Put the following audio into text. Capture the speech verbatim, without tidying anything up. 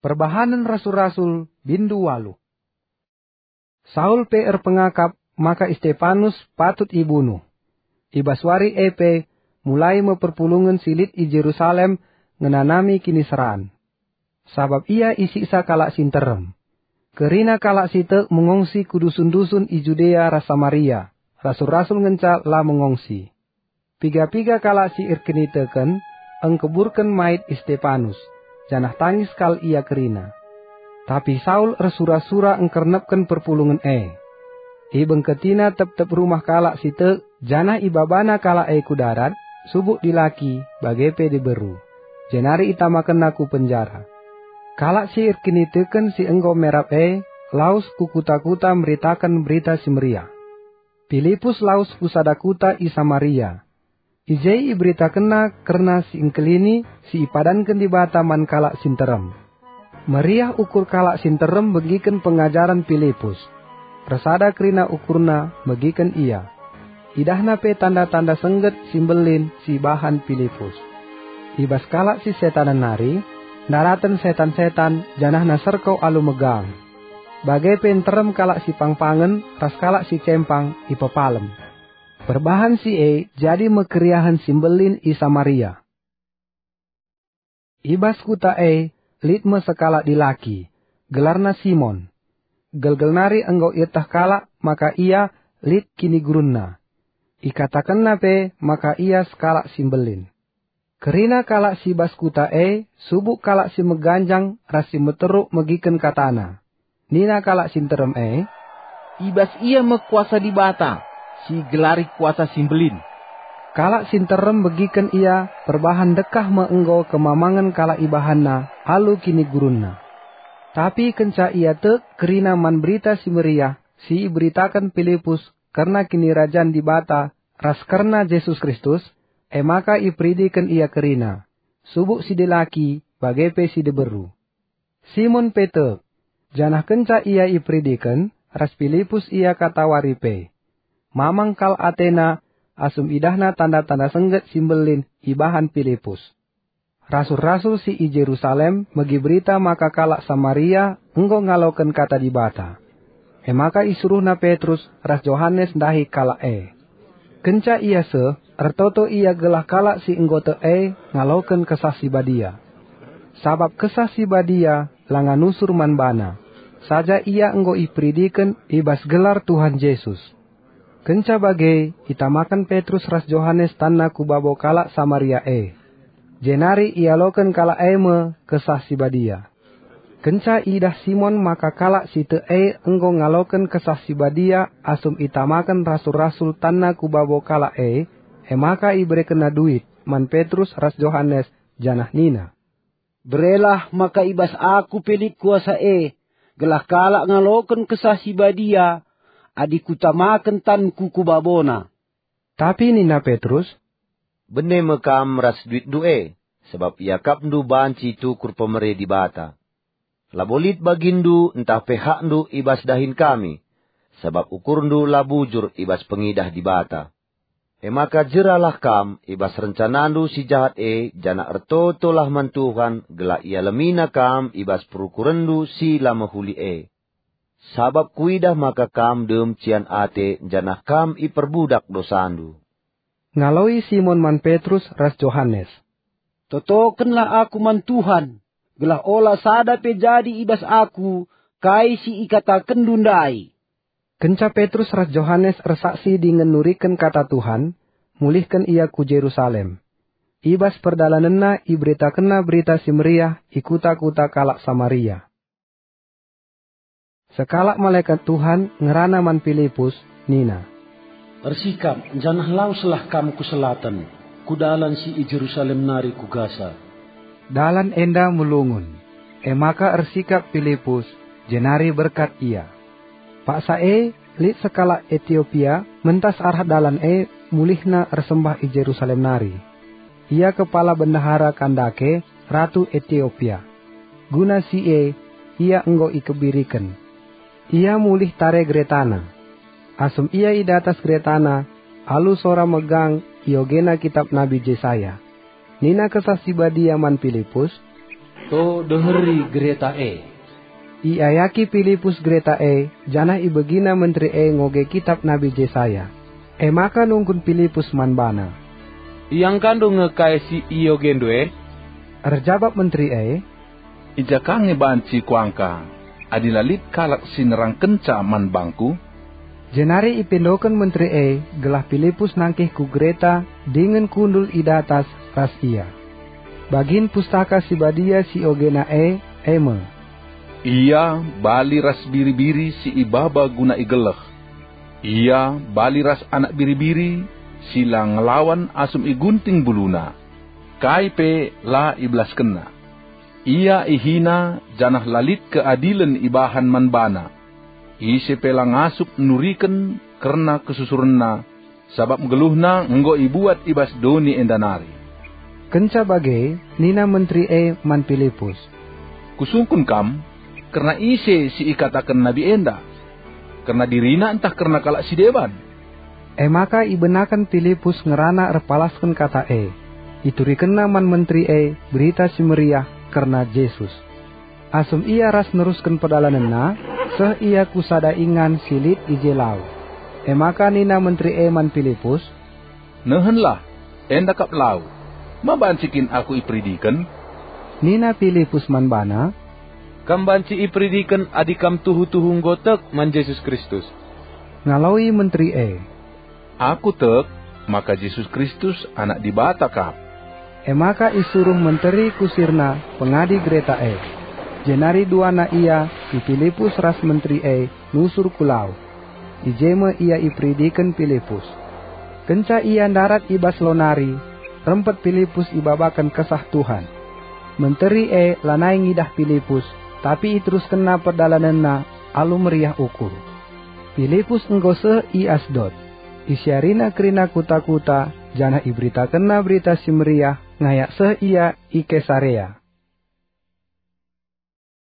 Perbahanen Rasul-Rasul, bindu waluh. Saul pe erpengakap maka Istepanus patut ibunuh. I bas wari e pe mulai me perpulungen si lit i Jerusalem ngenanami kiniseran. Sabap ia isiksa kalak si nterem. Kerina kalak si tek mengongsi ku dusun-dusun i Judea ras Samaria, rasul-rasul ngenca la mengongsi. Piga-piga kalak si erkiniteken engkeburken mait Istepanus, janah tangis kal ia kerina. Tapi Saul ersura-sura engkernepken perpulungen e. Ibengketina tep-tep rumah kalak si tek, janah ibabana kalak e ku darat, subuk dilaki, bage pe diberu. Jenari itamakenna ku penjara. Kalak si erkiniteken si enggo merap e lawes ku kuta-kuta meritaken Berita Si Meriah. Pilipus lawes ku sada kuta i Samaria. I je iberitakenna kerna si engkelini si ipadanken Dibata man kalak si nterem. Meriah ukur kalak si nterem megiken pengajaren Pilipus. Ersada kerina ukurna megiken ia. Idahna pe tanda-tanda sengget si mbelin si ibahan Pilipus. I bas kalak si setanen nari, ndaraten setan-setan janahna serko alu megang. Bage pe nterem kalak si pangpangen ras kalak si cempang ipepalem. Perbahan si e jadi me keriahen si mbelin i Samaria. I bas kuta e lit me sekalak dilaki, gelarna Simon. Gelgel nari enggo ieteh kalak maka ia lit kinigurunna. Ikatakenna pe maka ia sekalak si mbelin. Kerina kalak si bas kuta e subuk kalak si meganjang ras si meteruk megiken katana. Nina kalak si nterem e, "I bas ia me kuasa Dibata, si igelari kuasa si mbelin." Kalak si nterem megiken ia perbahan ndekah me enggo kemamangen kalak ibahanna alu kinigurunna. Tapi kenca ia tek kerina man Berita Si Meriah si iberitaken Pilipus kerna Kinirajan Dibata ras kerna Jesus Kristus, e maka iperidiken ia kerina, subuk si dilaki bage pe si diberu. Simon pe tek, janah kenca ia iperidiken, ras Pilipus ia katawari pe. Mamang kal atena asum idahna tanda-tanda sengget si mbelin ibahan Pilipus. Rasul-rasul si i Jerusalem megi berita maka kalak Samaria enggo ngaloken kata Dibata. E maka isuruhna Petrus ras Johanes ndahi kalak e. Kenca ia seh, ertoto ia gelah kalak si enggo tek e ngaloken Kesah Si Badia. Sabap Kesah Si Badia langa nusur man bana, saja ia enggo iperidiken i bas gelar Tuhan Jesus. Kenca bage, itamaken Petrus ras Johanes tanna ku babo kalak Samaria e. Jenari ialoken kalak e me Kesah Si Badia. Kenca idah Simon maka kalak si tek e enggo ngaloken Kesah Si Badia asum itamaken rasul-rasul tanna ku babo kalak e, e maka iberekenna duit man Petrus ras Johanes, janah nina, "Berelah maka i bas aku pe lit kuasa e, gelah kalak ngaloken Kesah Si Badia, adi kutamaken tanku ku babona." Tapi nina Petrus, "Bene me kam ras duitndu e, sabap iakapndu banci tukur pemere Dibata. Labo lit baginndu ntah pe hakndu i bas dahin kami, sabap ukurndu la bujur i bas pengidah Dibata. E maka jeralah kam i bas rencanandu si jahat e, janah ertotolah man Tuhan gelah ialemiNa kam i bas perukurenndu si la mehuli e. Sabap kuidah maka kam dem cian ate janah kam iperbudak dosandu." Ngaloi Simon man Petrus ras Johanes, "Totokenlah aku man Tuhan, gelah ola sada pe jadi i bas aku kai si ikatakenndu ndai." Kenca Petrus ras Johanes ersaksi dingen nuriken kata Tuhan, mulihken ia ku Jerusalem. I bas perdalanenna iberitakenna Berita Si Meriah i kuta-kuta kalak Samaria. Sekalak malekat Tuhan ngerana man Pilipus, nina, "Ersikap, janah laweslah kam ku selaten, ku dalan si i Jerusalem nari ku Gasa." Dalan enda melungun, e maka ersikap Pilipus, jenari berkat ia. Paksa e, lit sekalak Etiopia mentas arah dalan e mulihna ersembah i Jerusalem nari. Ia kepala bendahara Kandake, ratu Etiopia. Guna si e, ia enggo ikebiriken. Ia mulih tare geretana. Asum ia i datas geretana, alu sora megang iogena kitap Nabi Jesaya. Nina Kesah Si Badia man Pilipus, To deheri gereta e. Iayaki Pilipus gereta e, janah ibegina menteri e ngoge kitap Nabi Jesaya. E maka nungkun Pilipus man bana, "Iangkandu nge kai si iogendu e?" Erjabap menteri e, "I ja ka nge banci kuangka, adi la lit kalak si nerangkenca man bangku?" Jenari ipindoken menteri e gelah Pilipus nangkih ku gereta dingen kundul i datas ras ia. Bagin Pustaka Si Badia si ogena e, e me, "Ia bali ras biri-biri si ibaba guna igeleh. Ia bali ras anak biri-biri si la ngelawan asum igunting buluna. Kai pe la ibelaskenna. Ia ihina janah la lit keadilen ibahan man bana. Ise pe la ngasup nuriken kerna kesusurenna, sabap nggeluhna enggo ibuat i bas doni enda nari." Kenca bage, nina menteri e man Pilipus, "Kusungkun kam, kerna ise si ikataken nabi enda? Kerna dirina ntah kerna kalak si deban?" E maka ibenaken Pilipus ngerana erpalasken kata e. Iturikenna man menteri e Berita Si Meriah kerna Jesus. Asum ia ras nerusken perdalanenna, seh ia ku sada ingan si lit i je lau. E maka nina menteri e man Pilipus, "Nehenlah, enda kap lau. Ma banci kin aku iperidiken?" Nina Pilipus man bana, "Kam banci iperidiken adi kam tuhu-tuhu enggo tek man Jesus Kristus." Ngaloi menteri e, "Aku tek maka Jesus Kristus Anak Dibata kap." E maka isuruh menteri kusirna pengadi gereta e. Jenari duana ia si Pilipus ras menteri e nusur ku lau. I je me ia iperidiken Pilipus. Kenca ia ndarat i bas lau nari, rempet Pilipus ibabaken Kesah Tuhan. Menteri e lanai ngidah Pilipus, tapi iteruskenna perdalanenna alu meriah ukur. Pilipus enggo seh i Asdod. Isiarina kerina kuta-kuta, janah iberitakenna Berita Si Meriah ngayak seh ia i Kesarea.